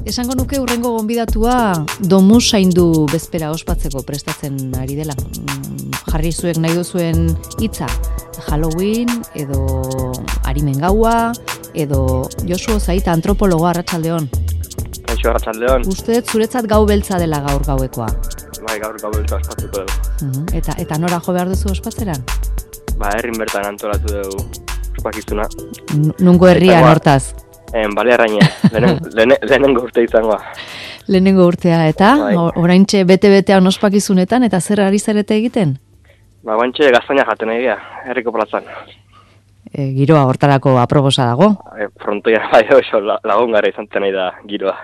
Esango nuke hurrengo gonbidatua domusaindu bezpera ospatzeko prestatzen ari dela. Jarri zuek nahi duzuen hitza, Halloween edo Arimen gaua edo Josu Ozaita antropologoa arratsaldeon. Kaixo arratsaldeon. Uste dut zuretzat gau beltza dela gaur gauekoa. Bai, gaur gau beltza ospatzeko dugu. Eta nora jo behar duzu ospatzeran? Herrin bertan antolatu dugu ospakizuna. Nungo herrian hortaz? Balearraine, lehenengo urte izangoa. Lehenengo urtea, eta oraintxe bete-betean ospakizunetan, eta zer ari zarete egiten? Guantxe gaztaina jaten egia, herriko plazan. Giroa hortarako aprobosa dago? Frontoia bai oso lagongara izan nahi da giroa.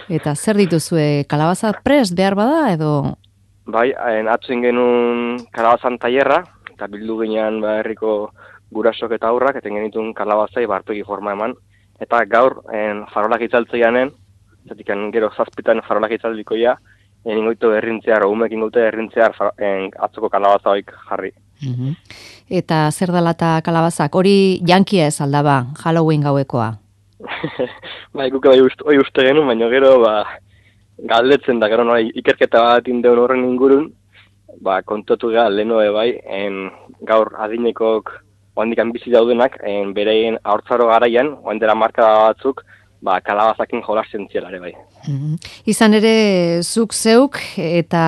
Eta zer dituzue, kalabaza prest behar bada edo? Bai, atzuen genuen kalabazan tailerra, eta bildu ginean herriko gurasok eta aurrak, eten genitun kalabazai barpegi forma eman. Eta gaur, farolak itzaltzeianen, zetik gero zazpitan farolak itzaldikoia, ingoitu errintzear, umek ingoitu errintzear atzoko kalabaza hoik jarri. Eta zer dela eta kalabazak? Hori jankia ez aldaba, Halloween gauekoa? Bai, guke bai uste genuen, baina gero galdetzen da, gero ikerketa bat indeun horren ingurun, kontotu gara lehenoe bai, gaur adinekok oandikan bizi daudenak, bereien haurtzaro garaian, oandera marka batzuk, kalabazakin jolasten zielare bai. Izan ere, zuk zeuk eta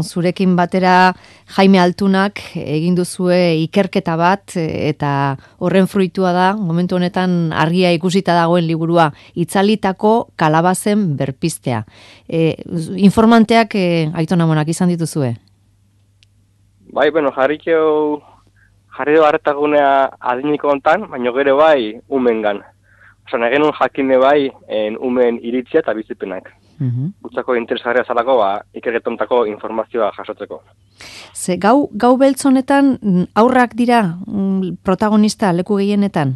zurekin batera Jaime Altunak egin duzue ikerketa bat, eta horren fruitua da, momentu honetan argia ikusita dagoen liburua, itzalitako kalabazen berpiztea. Informanteak Aiton Amonak izan dituzue? Bai, jarri du harretagunea adiniko hontan, baina gero bai umengan. Osa, nagenun jakine bai umen iritzia eta bizipenak. Gutzako interesgarria zalako, ikerketontako informazioa jasotzeko. Ze gau beltz honetan aurrak dira protagonista leku gehienetan?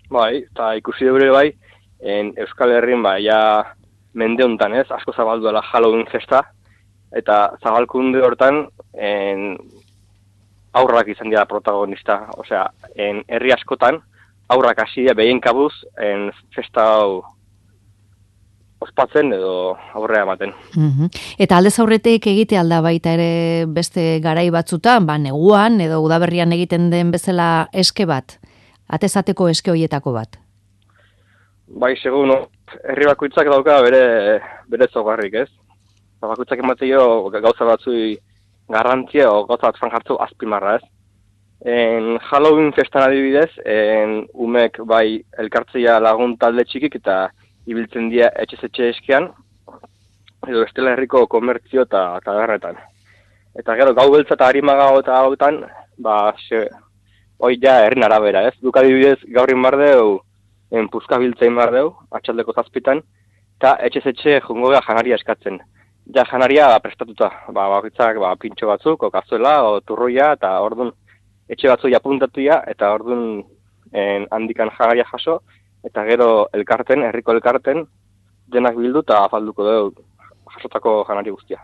Bai, eta ikusi dure bai, Euskal Herrin ja mende hontan ez, asko zabalduela Halloween festa, eta zabalkunde hortan aurrak izan dira protagonista, osea, herri askotan, aurrak hasi behien kabuz, festa hau ospatzen edo aurrea ematen. Eta aldez aurretek egite alda baita ere beste garai batzutan, neguan edo udaberrian egiten den bezala eske bat, atezateko eske hoietako bat? Bai, segun, herri bakoitzak dauka bere zogarrik, ez? Bakoitzak emateio gauza batzui garrantzia o gauza bat jartzu azpimarra, ez? Halloween festan adibidez, umek bai elkartzea lagun talde txikik eta ibiltzen dira etxe eskean, edo estela herriko komertzio eta tabernetan. Eta gero gau beltza eta harimagao eta hautan, hoi ja herrin arabera, ez? Duk adibidez gaurrin bardeu, puzka biltzein bardeu, atxaldeko zazpitan, eta etxe jongo gara janaria eskatzen. Ja janaria prestatuta, bakitzak pintxo batzuk, okazuela, o turroia, eta orduan etxe batzuk apuntatuia, eta orduan handikan janaria jaso, eta gero herriko elkarten, denak bildu eta afalduko dugu jasotako janari guztia.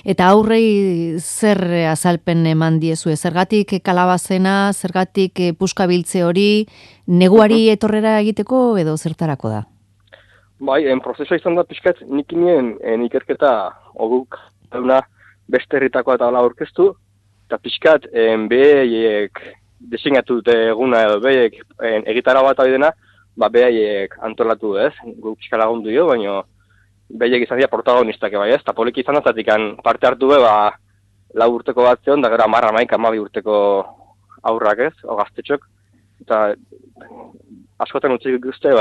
Eta aurrei zer azalpen eman diezue? Zergatik kalabazena, zergatik puskabiltze hori, neguari etorrera egiteko edo zertarako da? Bai, prozesua izan da pixkat nik inien ikerketa oguk dauna beste herritakoa eta hala aurkeztu, eta pixkat behaiek deseinatu dute eguna edo behaiek egitara bat abidena, behaiek antolatu ez, guk pixka lagundu dio, baina behaiek izan dira protagonistak bai ez, eta poliki izan da, parte hartu be, 4 urteko bat zion, da gero 10-12 urteko aurrak ez, o gaztetxok, eta askotan utzik guzti,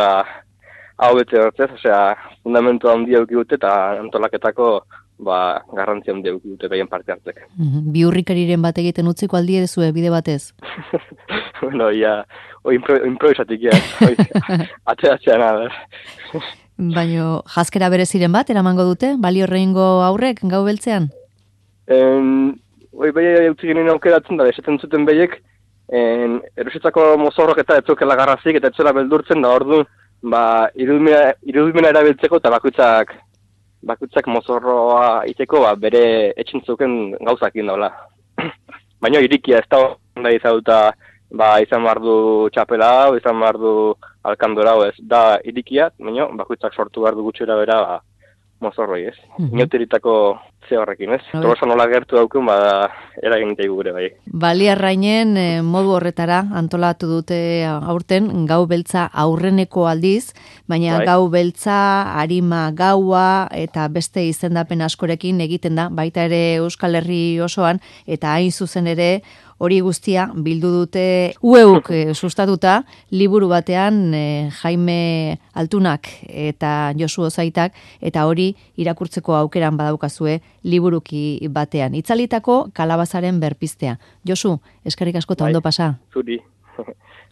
hau bete hortzez, osea, fundamentu handia eukidute eta antolaketako garrantzia handia eukidute behien parte hartzek. Biurrikariren bat egiten utziko aldi edezue bide batez? Bueno, improvisatik, atzean, Baina jaskera bereziren bat, eramango dute? Balio reingo aurrek, gau beltzean? Behi utzi genuen aukeratzen da, esaten zuten behiek, erosetzako mozorrok eta etzokela garrazik, eta etzela beldurtzen da, orduan, irudimena erabiltzeko eta bakoitzak mozorroa iteko bere etxintzuken gauzakin daula. Baina irikia ez da onda izaduta izan behar du txapela hau, izan behar du alkandora hau ez, da irikia, baina bakoitzak sortu behar du gutxera bera, mozorroi ez. Inauteritako ze horrekin ez. Tolosa nola gertu daukun, eragin daigu gure bai. Baliarrainen modu horretara antolatu dute aurten gau beltza aurreneko aldiz, baina gau beltza, arima gaua eta beste izendapen askorekin egiten da, baita ere Euskal Herri osoan, eta hain zuzen ere hori guztia bildu dute ueuk sustatuta liburu batean Jaime Altunak eta Josu Ozaitak, eta hori irakurtzeko aukeran badaukazue liburuki batean. Itzalitako kalabazaren berpiztea. Josu, eskerrik asko eta ondo pasa. Zuri.